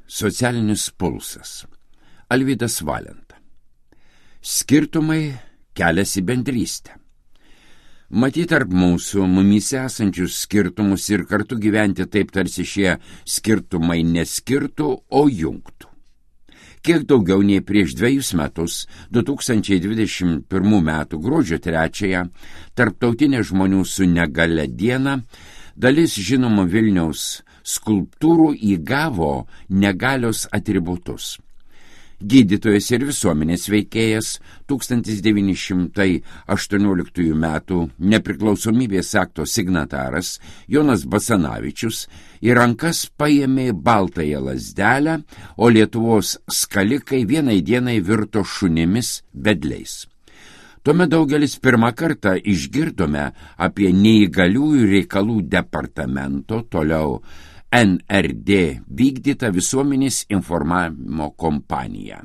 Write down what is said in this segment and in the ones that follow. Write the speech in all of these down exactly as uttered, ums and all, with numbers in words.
Socialinis pulsas. Alvydas Valenta. Skirtumai keliasi bendrystę. Matyt, tarp mūsų, mumyse esančius skirtumus ir kartu gyventi taip, tarsi šie skirtumai neskirtų, o jungtų. Kiek daugiau nei prieš dviejus metus, du tūkstančiai dvidešimt pirmų metų gruodžio trečiąją, Tarptautinė žmonių su negalia diena, dalis žinomų Vilniaus skulptūrų įgavo negalios atributus. Gydytojas ir visuomenės veikėjas tūkstantis devyni šimtai aštuonioliktųjų metų nepriklausomybės akto signataras Jonas Basanavičius į rankas paėmė baltąją lazdelę, o Lietuvos skalikai vienai dienai virto šunimis vedliais. Tuomet daugelis pirmą kartą išgirdome apie neįgaliųjų reikalų departamento, toliau N R D vykdytą visuomenės informavimo kompaniją.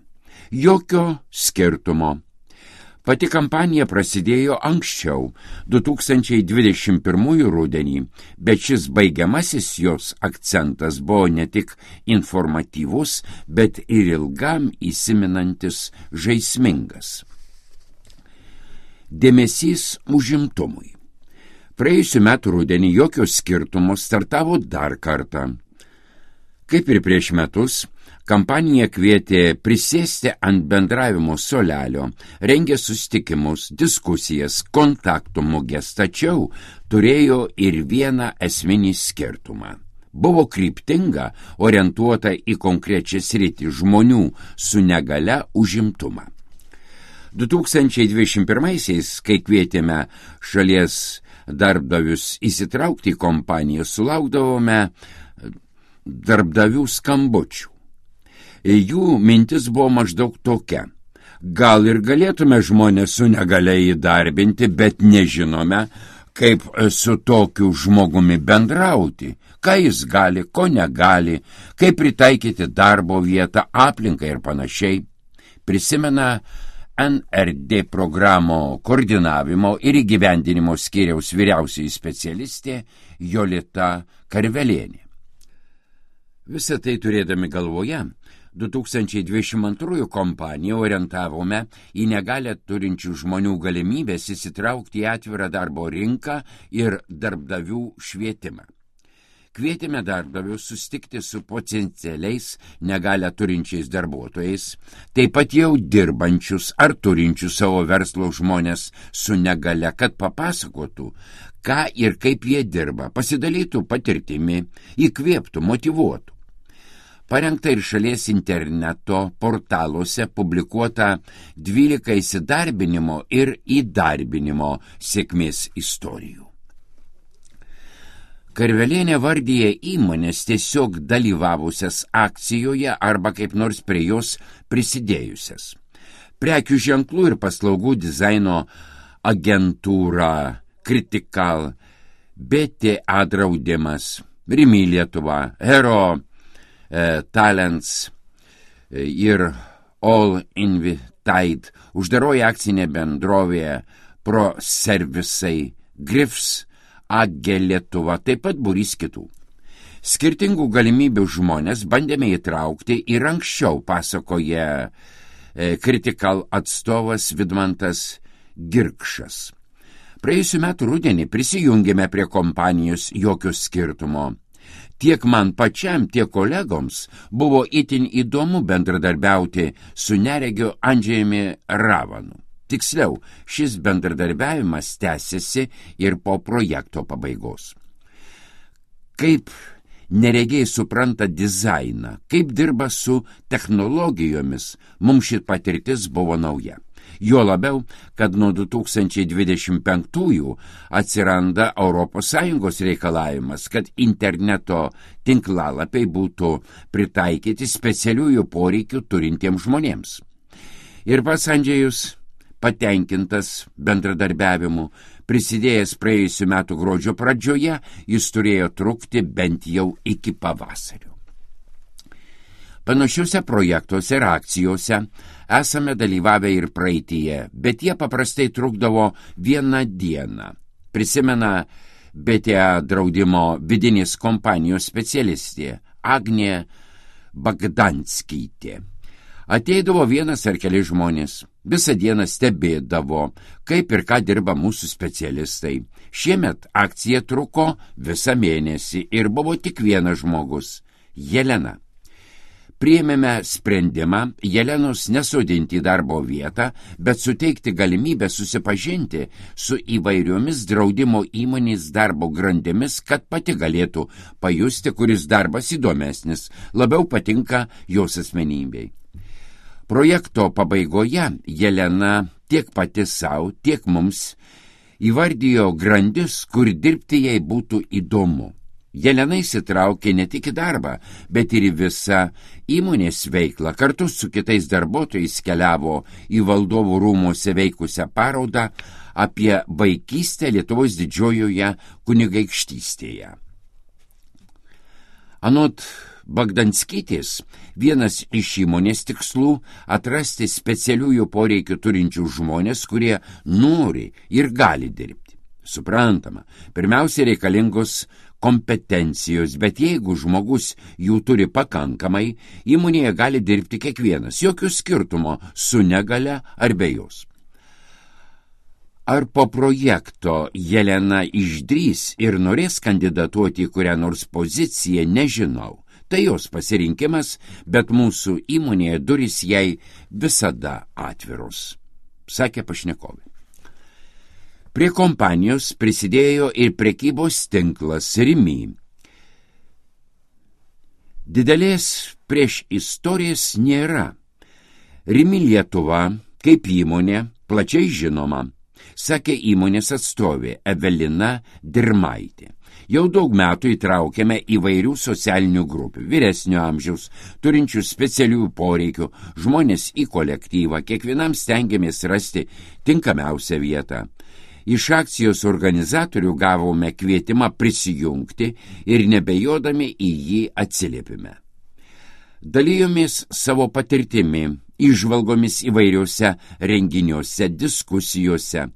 Jokio skirtumo. Pati kampanija prasidėjo anksčiau, du tūkstančiai dvidešimt pirmųjų rudenį, bet šis baigiamasis jos akcentas buvo ne tik informatyvus, bet ir ilgam įsiminantis žaismingas. Dėmesys užimtumui. Praėjusiu metu rudenį jokio skirtumo startavo dar kartą. Kaip ir prieš metus, kampanija kvietė prisėsti ant bendravimo suolelio, rengė susitikimus, diskusijas, kontaktų muges, tačiau turėjo ir vieną esminį skirtumą. Buvo kryptinga, orientuota į konkrečią sritį žmonių su negalia užimtumą. du tūkstančiai dvidešimt pirmaisiais, kai kvietėme šalies darbdavius įsitraukti į kompaniją, sulaukdavome darbdavių skambučių. Jų mintis buvo maždaug tokia: gal ir galėtume žmonės su negalia įdarbinti, bet nežinome, kaip su tokiu žmogumi bendrauti, ką jis gali, ko negali, kaip pritaikyti darbo vietą, aplinką ir panašiai. Prisimena N R D programo koordinavimo ir įgyvendinimo skyriaus vyriausioji specialistė Jolita Karvelienė. Visą tai turėdami galvoje, du tūkstančiai dvidešimt antrųjų kompaniją orientavome į negalią turinčių žmonių galimybės įsitraukti į atvirą darbo rinką ir darbdavių švietimą. Kvietėme darbdavius susitikti su potencialiais negalią turinčiais darbuotojais, taip pat jau dirbančius ar turinčius savo verslo žmonės su negalia, kad papasakotų, ką ir kaip jie dirba, pasidalytų patirtimi, įkvėptų, motyvuotų. Parengta ir šalies interneto portaluose publikuota dvylika įsidarbinimo ir įdarbinimo sėkmės istorijų. Karvelienė vardyje įmonės tiesiog dalyvavusias akcijoje arba kaip nors prie jos prisidėjusias. Prekių ženklų ir paslaugų dizaino agentūra Critical, B T A draudimas, Rimi Lietuva, Hero e, Talents e, ir All Invited, uždaroji akcinė bendrovė Pro Servisai, Grifs, A G Lietuva, taip pat būrys kitų. Skirtingų galimybių žmonės bandėme įtraukti ir anksčiau, pasakoja e, Critical atstovas Vidmantas Girkšas. Praėjusiu metu rudenį prisijungėme prie kompanijos jokio skirtumo. Tiek man pačiam, tiek kolegoms buvo itin įdomu bendradarbiauti su neregiu Andžejumi Ravanu. Tiksliau, šis bendradarbiavimas tęsiasi ir po projekto pabaigos. Kaip neregiai supranta dizainą, kaip dirba su technologijomis, mums ši patirtis buvo nauja. Jo labiau, kad nuo du tūkstančiai dvidešimt penktųjų atsiranda Europos Sąjungos reikalavimas, kad interneto tinklalapiai būtų pritaikyti specialiųjų poreikių turintiems žmonėms. Ir pats Andžejus patenkintas bendradarbiavimu, prisidėjęs praėjusiu metų gruodžio pradžioje, jis turėjo trukti bent jau iki pavasario. Panašiuose projektuose ir akcijose esame dalyvavę ir praeityje, bet jie paprastai trukdavo vieną dieną. Prisimena B T A draudimo vidinės kompanijos specialistė Agnė Bagdanskytė. Ateidavo vienas ar keli žmonės, visą dieną stebėdavo, kaip ir ką dirba mūsų specialistai. Šiemet akcija truko visą mėnesį ir buvo tik vienas žmogus – Jelena. Priėmėme sprendimą Jelenos nesodinti į darbo vietą, bet suteikti galimybę susipažinti su įvairiomis draudimo įmonės darbo grandimis, kad pati galėtų pajusti, kuris darbas įdomesnis, labiau patinka jos asmenybei. Projekto pabaigoje Jelena tiek pati savo, tiek mums įvardijo grandis, kur dirbti jai būtų įdomu. Jelena įsitraukė ne tik į darbą, bet ir į visą įmonės veiklą. Kartu su kitais darbuotojais keliavo į valdovų rūmuose veikusią parodą apie vaikystę Lietuvos didžiojoje kunigaikštystėje. Anot Bagdanskytės, vienas iš įmonės tikslų atrasti specialiųjų poreikių turinčių žmonės, kurie nori ir gali dirbti. Suprantama, pirmiausia reikalingos kompetencijos, bet jeigu žmogus jų turi pakankamai, įmonėje gali dirbti kiekvienas, jokių skirtumo su negalia ar be jos. Ar po projekto Jelena išdrys ir norės kandidatuoti į kurią nors poziciją, nežinau. Tai jos pasirinkimas, bet mūsų įmonėje durys jai visada atviros, sakė pašnekovė. Prie kompanijos prisidėjo ir prekybos tinklas Rimi. Didelės prieš istorijas nėra. Rimi Lietuva, kaip įmonė, plačiai žinoma, sakė įmonės atstovė Evelina Dirmaitė. Jau daug metų įtraukėme įvairių socialinių grupių, vyresnio amžiaus, turinčių specialių poreikių, žmonės į kolektyvą, kiekvienam stengiamės rasti tinkamiausią vietą. Iš akcijos organizatorių gavome kvietimą prisijungti ir nebejodami į jį atsiliepime. Dalijomės savo patirtimi, įžvalgomis įvairiuose renginiuose, diskusijose.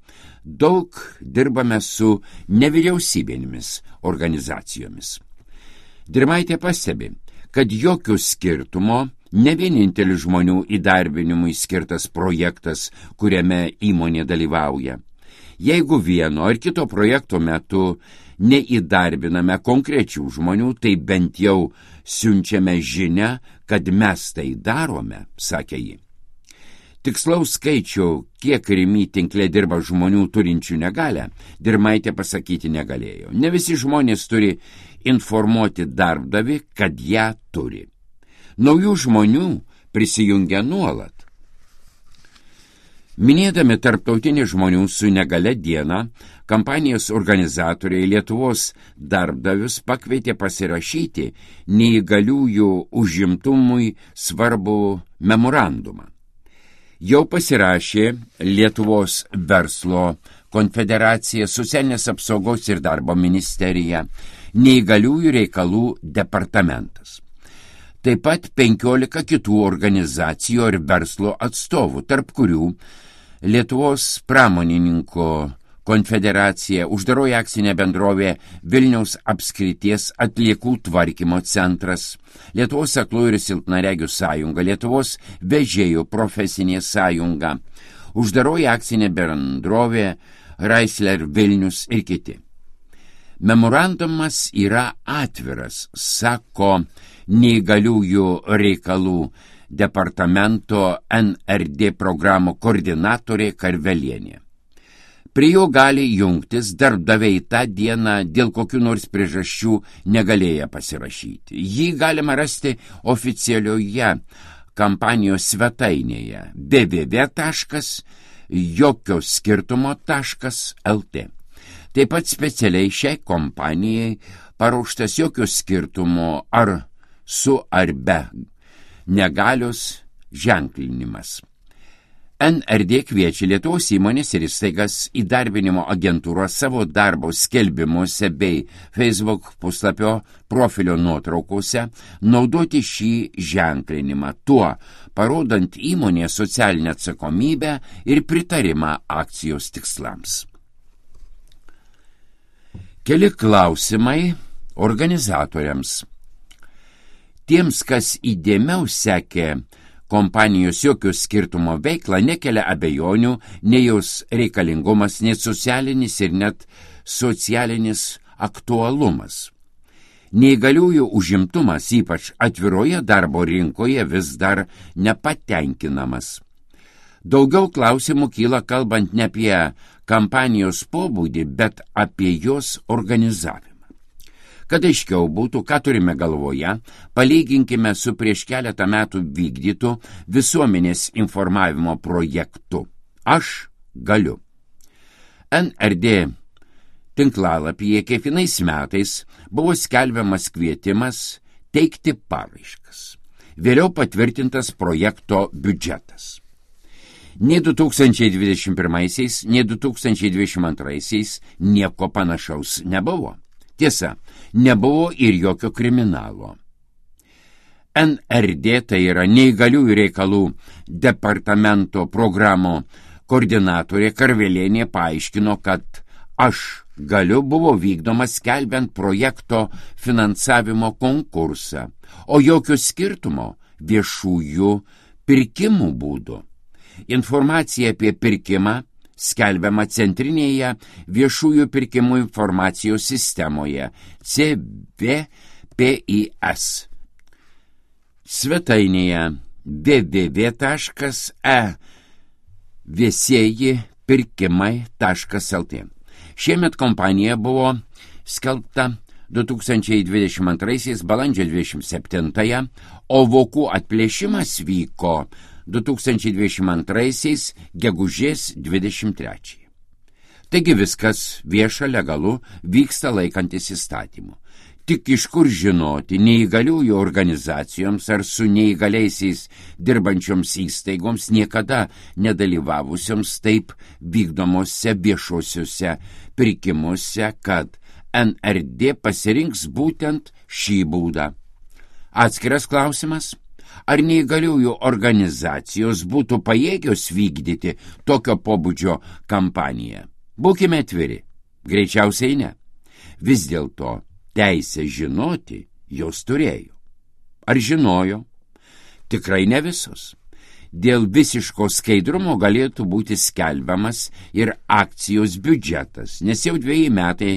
Daug dirbame su nevyriausybinėmis organizacijomis. Dirmaitė pastebi, kad jokių skirtumo ne vienintelis žmonių įdarbinimui skirtas projektas, kuriame įmonė dalyvauja. Jeigu vieno ar kito projekto metu neįdarbiname konkrečių žmonių, tai bent jau siunčiame žinią, kad mes tai darome, sakė ji. Tikslaus skaičių, kiek Rimi tinkle dirba žmonių turinčių negalią, Dirmaitė pasakyti negalėjo. Ne visi žmonės turi informuoti darbdavį, kad ją turi. Naujų žmonių prisijungia nuolat. Minėdami tarptautinį žmonių su negale dieną, kampanijos organizatoriai Lietuvos darbdavius pakvietė pasirašyti neįgaliųjų užimtumui svarbų memorandumą. Jau pasirašė Lietuvos verslo konfederacija, socialinės apsaugos ir darbo ministerija, neįgaliųjų reikalų departamentas. Taip pat penkiolika kitų organizacijų ir verslo atstovų, tarp kurių Lietuvos pramonininkų konfederacija, uždaroji akcinė bendrovė Vilniaus apskrities atliekų tvarkymo centras, Lietuvos aklųjų ir silpnaregių sąjunga, Lietuvos vežėjų profesinė sąjunga, uždaroji akcinė bendrovė Raisler Vilnius ir kiti. Memorandumas yra atviras, sako neįgaliųjų reikalų departamento N R D programų koordinatorė Karvelienė. Prie jo gali jungtis darbdaviai tą dieną dėl kokių nors priežasčių negalėję pasirašyti. Jį galima rasti oficialioje kampanijos svetainėje w w w taškas jokio skirtumo taškas l t. Taip pat specialiai šiai kompanijai paruoštas jokio skirtumo ar su ar be negalios ženklinimas. N R D kviečia Lietuvos įmonės ir įstaigas įdarbinimo agentūros savo darbo skelbimuose bei Facebook puslapio profilio nuotraukose naudoti šį ženklinimą, tuo parodant įmonės socialinę atsakomybę ir pritarimą akcijos tikslams. Keli klausimai organizatoriams. Tiems, kas įdėmiau sekė kompanijos jokio skirtumo veiklą, nekelia abejonių nei jos reikalingumas, nei socialinis ir net socialinis aktualumas. Neįgaliųjų užimtumas, ypač atviroje darbo rinkoje, vis dar nepatenkinamas. Daugiau klausimų kyla kalbant ne apie kampanijos pobūdį, bet apie jos organizavimą. Kad aiškiau būtų, ką turime galvoje, palyginkime su prieš keletą metų vykdytu visuomenės informavimo projektu. Aš galiu. N R D tinklalapyje kiekvienais metais buvo skelbiamas kvietimas teikti paraiškas. Vėliau patvirtintas projekto biudžetas. Nei du tūkstančiai dvidešimt pirmaisiais, nei du tūkstančiai dvidešimt antraisiais nieko panašaus nebuvo. Tiesa, nebuvo ir jokio kriminalo. N R D, tai yra neįgaliųjų reikalų departamento programų koordinatorė Karvelienė, paaiškino, kad Aš galiu buvo vykdomas skelbiant projekto finansavimo konkursą, o jokio skirtumo viešųjų pirkimų būdų. Informacija apie pirkimą skelbiama centrinėje viešųjų pirkimų informacijos sistemoje C V P I S. Svetainėje w w w taškas e viešieji pirkimai taškas l t. Šiemet kompanija buvo skelbta du tūkstančiai dvidešimt antraisiais balandžio dvidešimt septintąją, o vokų atplėšimas vyko du tūkstančiai dvidešimt antraisiais gegužės dvidešimt trečiąją. Taigi viskas vieša, legalu, vyksta laikantis įstatymų. Tik iš kur žinoti neįgaliųjų organizacijoms ar su neįgaliaisiais dirbančioms įstaigoms niekada nedalyvavusioms taip vykdomose viešuosiuose pirkimuose, kad N R D pasirinks būtent šį būdą. Atskiras klausimas, ar neįgaliųjų organizacijos būtų pajėgios vykdyti tokio pobūdžio kampaniją? Būkime atviri, greičiausiai ne. Vis dėlto teisę žinoti jos turėjo. Ar žinojo? Tikrai ne visos. Dėl visiško skaidrumo galėtų būti skelbiamas ir akcijos biudžetas, nes jau dviejai metai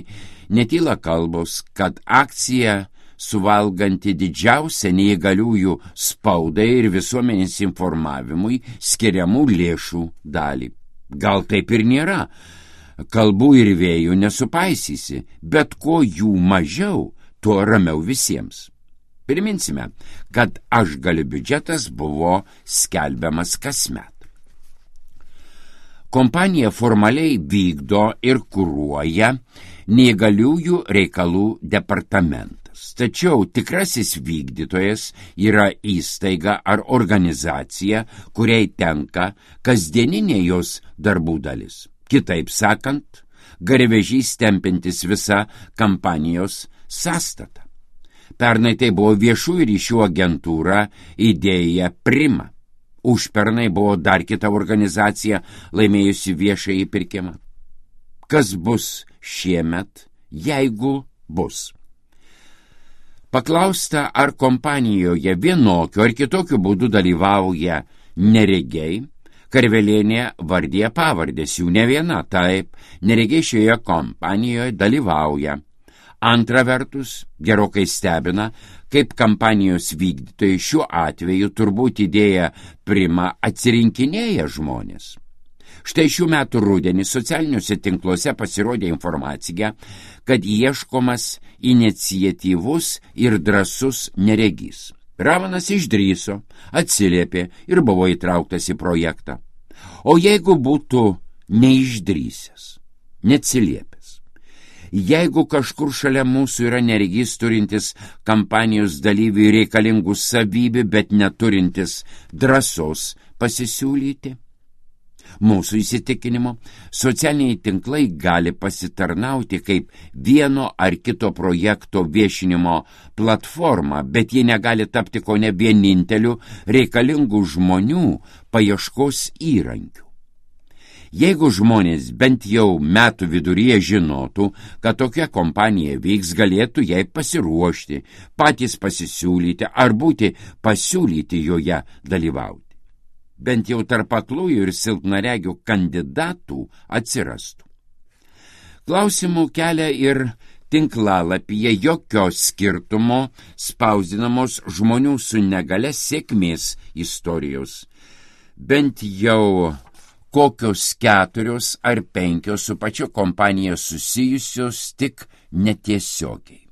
netyla kalbos, kad akcija suvalganti didžiausią neįgaliųjų spaudai ir visuomenės informavimui skiriamų lėšų dalį. Gal taip ir nėra. Kalbų ir vėjų nesupaisysi, bet ko jų mažiau, tuo ramiau visiems. Priminsime, kad Aš galiu biudžetas buvo skelbiamas kasmet. Kompanija formaliai vykdo ir kuruoja neįgaliųjų reikalų departamentas. Tačiau tikrasis vykdytojas yra įstaiga ar organizacija, kuriai tenka kasdieninė jos darbų dalis. Kitaip sakant, garvežys tempintis visą kampanijos sąstatą. Pernai tai buvo viešųjų ryšių agentūra Idėja Prima. Užpernai buvo dar kita organizacija laimėjusi viešąjį pirkimą. Kas bus šiemet, jeigu bus? Paklausta, ar kompanijoje vienokiu ar kitokiu būdu dalyvauja neregiai, Karvelienė vardija pavardės, jų ne viena, taip, neregiai šioje kompanijoje dalyvauja. Antra vertus, gerokai stebina, kaip kampanijos vykdytojai šiuo atveju turbūt Idėja Prima atsirinkinėja žmonės. Štai šių metų rudenį socialiniuose tinkluose pasirodė informacija, kad ieškomas iniciatyvus ir drąsus neregys. Ravanas išdrįso, atsiliepė ir buvo įtrauktas į projektą. O jeigu būtų neišdrįsęs, neatsiliepęs, jeigu kažkur šalia mūsų yra neregys turintis kampanijos dalyvių reikalingų savybių, bet neturintis drąsos pasisiūlyti? Mūsų įsitikinimu, socialiniai tinklai gali pasitarnauti kaip vieno ar kito projekto viešinimo platforma, bet jie negali tapti ko ne vieninteliu reikalingų žmonių paieškos įrankiu. Jeigu žmonės bent jau metų viduryje žinotų, kad tokia kompanija vyks, galėtų jai pasiruošti, patys pasisiūlyti ar būti pasiūlyti joje dalyvauti. Bent jau tarp aklųjų ir silpnaregių kandidatų atsirastų. Klausimų kelia ir tinklalapyje jokio skirtumo spausdinamos žmonių su negale sėkmės istorijos. Bent jau kokios keturios ar penkios su pačia kompanija susijusios tik netiesiogiai.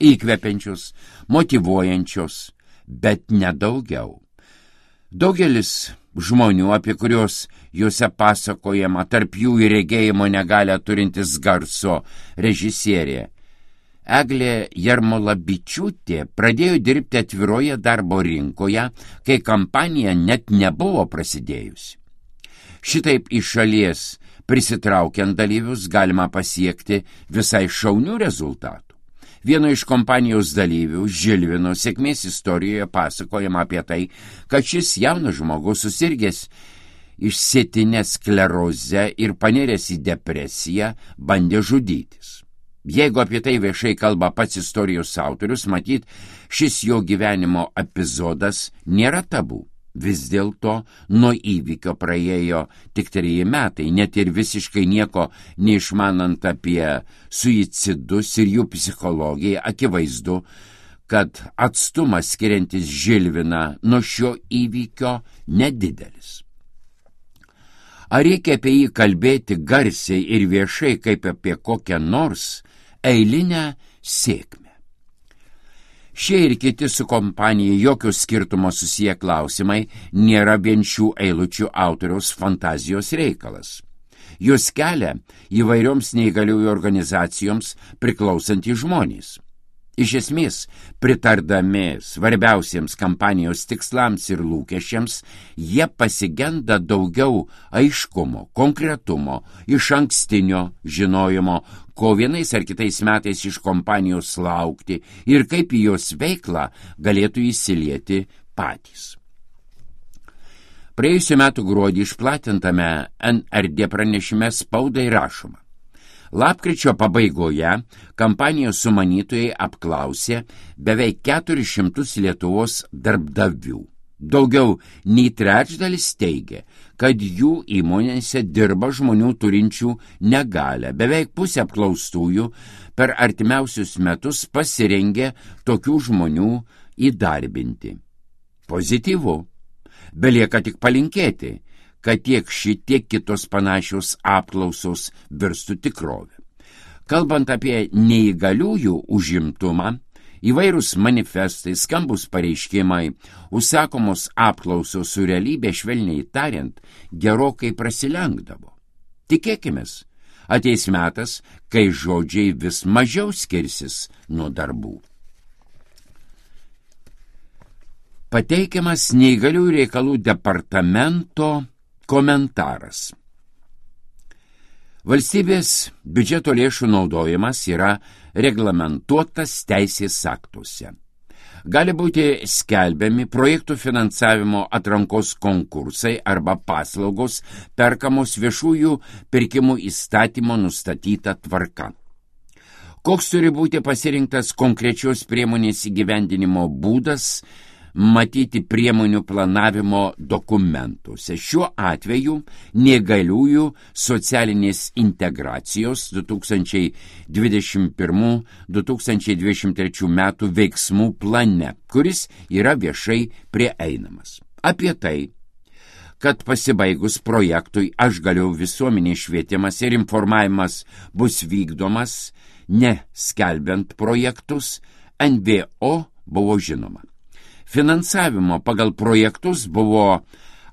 Įkvepiančios, motyvuojančios, bet nedaugiau. Daugelis žmonių, apie kuriuos juose pasakojama, tarp jų ir regėjimo negalę turintis garso režisierė Eglė Jarmolavičiūtė, pradėjo dirbti atviroje darbo rinkoje, kai kampanija net nebuvo prasidėjusi. Šitaip iš šalies prisitraukiant dalyvius galima pasiekti visai šaunių rezultatų. Vieno iš kompanijos dalyvių, Žilvino, sėkmės istorijoje pasakojama apie tai, kad šis jaunas žmogus susirgęs išsėtinę sklerozę ir paniręs į depresiją bandė žudytis. Jeigu apie tai viešai kalba pats istorijos autorius, matyt, šis jo gyvenimo epizodas nėra tabu. Vis dėlto nuo įvykio praėjo tik treji metai, net ir visiškai nieko neišmanant apie suicidus ir jų psichologiją, akivaizdu, kad atstumas skiriantis Žilviną nuo šio įvykio nedidelis. Ar reikia apie jį kalbėti garsiai ir viešai kaip apie kokią nors eilinę sėkmę? Šie ir kiti su kompanija jokio skirtumo susiję klausimai nėra vien šių eilučių autoriaus fantazijos reikalas. Jūs kelia įvairioms neįgaliųjų organizacijoms priklausantys žmonės. Iš esmės, pritardami svarbiausiems kampanijos tikslams ir lūkesčiams, jie pasigenda daugiau aiškumo, konkretumo, iš ankstinio žinojimo, ko vienais ar kitais metais iš kompanijos laukti ir kaip į jos veiklą galėtų įsilieti patys. Praėjusiu metu gruodį išplatintame N R D pranešime spaudai rašoma. Lapkričio pabaigoje kampanijos sumanytojai apklausė beveik keturis šimtus Lietuvos darbdavių. Daugiau nei trečdalis teigia, kad jų įmonėse dirba žmonių turinčių negalią. Beveik pusė apklaustųjų per artimiausius metus pasirengė tokių žmonių įdarbinti. Pozityvu. Belieka tik palinkėti, kad tiek ši, tiek kitos panašios apklausos virstų tikrovę. Kalbant apie neįgaliųjų užimtumą, įvairūs manifestai, skambus pareiškimai, užsakomos apklausos su realybė, švelniai tariant, gerokai prasilenkdavo. Tikėkimės, ateis metas, kai žodžiai vis mažiau skirsis nuo darbų. Pateikiamas neįgaliųjų reikalų departamento komentaras. Valstybės biudžeto lėšų naudojimas yra reglamentuotas teisės aktuose. Gali būti skelbiami projektų finansavimo atrankos konkursai arba paslaugos perkamos viešųjų pirkimų įstatymo nustatyta tvarka. Koks turi būti pasirinktas konkrečios priemonės įgyvendinimo būdas, matyti priemonių planavimo dokumentuose. Šiuo atveju neįgaliųjų socialinės integracijos du tūkstančiai dvidešimt pirmų - du tūkstančiai dvidešimt trečių metų veiksmų plane, kuris yra viešai prieinamas. Apie tai, kad pasibaigus projektui Aš galiu visuomenės švietimas ir informavimas bus vykdomas, neskelbiant projektus, N V O buvo žinoma. Finansavimo pagal projektus buvo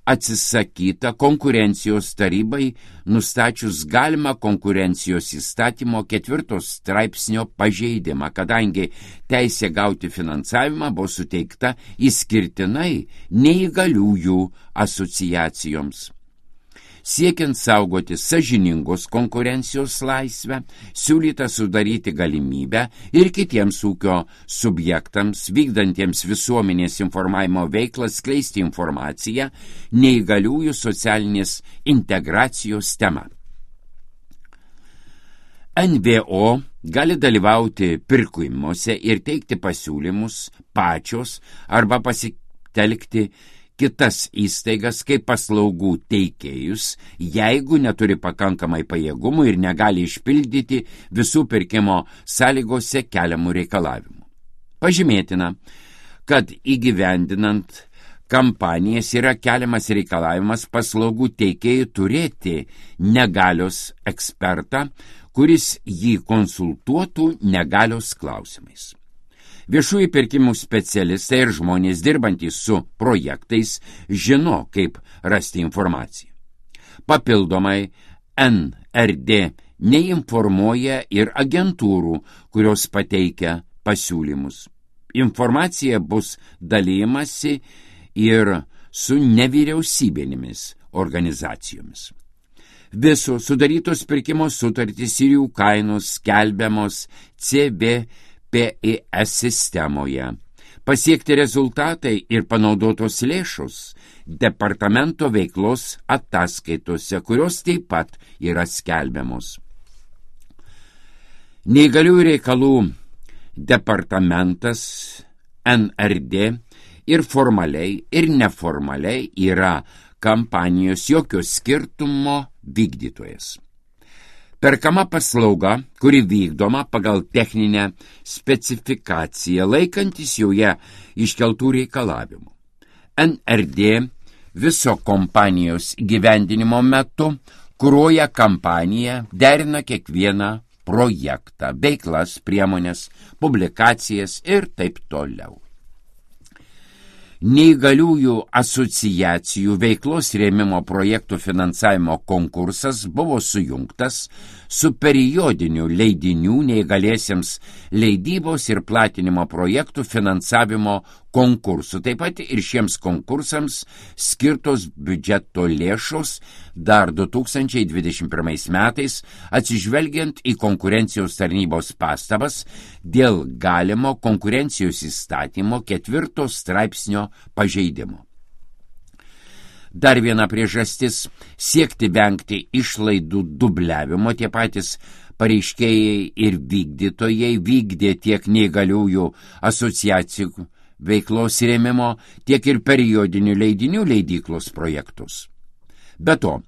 atsisakyta konkurencijos tarybai, nustačius galimą konkurencijos įstatymo ketvirtos straipsnio pažeidimą, kadangi teisė gauti finansavimą buvo suteikta išskirtinai neįgaliųjų asociacijoms. Siekiant saugoti sąžiningos konkurencijos laisvę, siūlyta sudaryti galimybę ir kitiems ūkio subjektams, vykdantiems visuomenės informavimo veiklą, skleisti informaciją neįgaliųjų socialinės integracijos tema. N V O gali dalyvauti pirkimuose ir teikti pasiūlymus pačios arba pasitelkti kitas įstaigas kaip paslaugų teikėjus, jeigu neturi pakankamai pajėgumų ir negali išpildyti visų pirkimo sąlygose keliamų reikalavimų. Pažymėtina, kad įgyvendinant kampanijas yra keliamas reikalavimas paslaugų teikėjų turėti negalios ekspertą, kuris jį konsultuotų negalios klausimais. Viešųjų pirkimų specialistai ir žmonės dirbantys su projektais žino, kaip rasti informaciją. Papildomai N R D neinformuoja ir agentūrų, kurios pateikia pasiūlymus. Informacija bus dalijamasi ir su nevyriausybinėmis organizacijomis. Visos sudarytos pirkimo sutartys ir jų kainos skelbiamos C B P I S sistemoje. Pasiekti rezultatai ir panaudotos lėšos departamento veiklos ataskaitose, kurios taip pat yra skelbiamos. Neįgaliųjų reikalų departamentas N R D ir formaliai, ir neformaliai yra kampanijos jokio skirtumo vykdytojas. Perkama paslauga, kuri vykdoma pagal techninę specifikaciją, laikantis joje iškeltų reikalavimų. N R D viso kompanijos gyvendinimo metu kuruoja kampaniją, derina kiekvieną projektą, veiklas, priemonės, publikacijas ir taip toliau. Neįgaliųjų asociacijų veiklos rėmimo projektų finansavimo konkursas buvo sujungtas su periodiniu leidinių neįgaliesiems leidybos ir platinimo projektų finansavimo konkursu. Taip pat ir šiems konkursams skirtos biudžeto lėšos dar du tūkstančiai dvidešimt pirmais metais, atsižvelgiant į konkurencijos tarnybos pastabas dėl galimo konkurencijos įstatymo ketvirto straipsnio pažeidimo. Dar viena priežastis – siekti vengti išlaidų dubliavimo. Tie patys pareiškėjai ir vykdytojai vykdė tiek neįgaliųjų asociacijų veiklos rėmimo, tiek ir periodinių leidinių leidyklos projektus. Be to,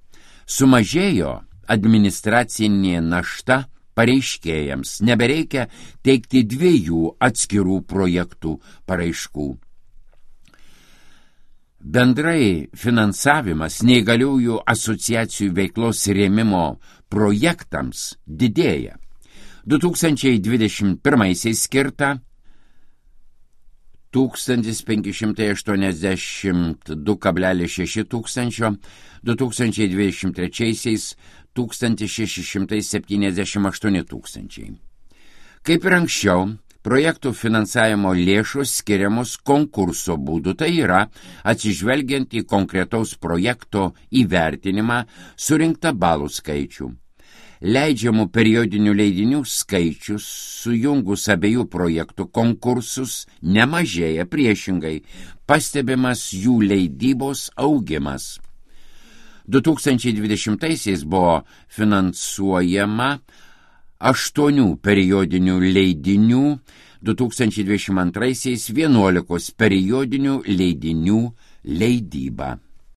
sumažėjo administracinė našta pareiškėjams, nebereikia teikti dviejų atskirų projektų paraiškų. Bendrai finansavimas neįgaliųjų asociacijų veiklos rėmimo projektams didėja. du tūkstančiai dvidešimt pirmaisiais skirta tūkstantis penki šimtai aštuoniasdešimt du kablelis šeši tūkstančio, du tūkstančiai dvidešimt trečiaisiais tūkstantis šeši šimtai septyniasdešimt aštuoni tūkstančiai. Kaip ir anksčiau, projektų finansavimo lėšos skiriamos konkurso būdu, tai yra atsižvelgiant į konkretaus projekto įvertinimą surinktą balų skaičių. Leidžiamų periodinių leidinių skaičius sujungus abiejų projektų konkursus nemažėja, priešingai pastebimas jų leidybos augimas. du tūkstančiai dvidešimtaisiais buvo finansuojama aštuonių periodinių leidinių, du tūkstančiai dvidešimt antraisiais vienuolikos periodinių leidinių leidyba.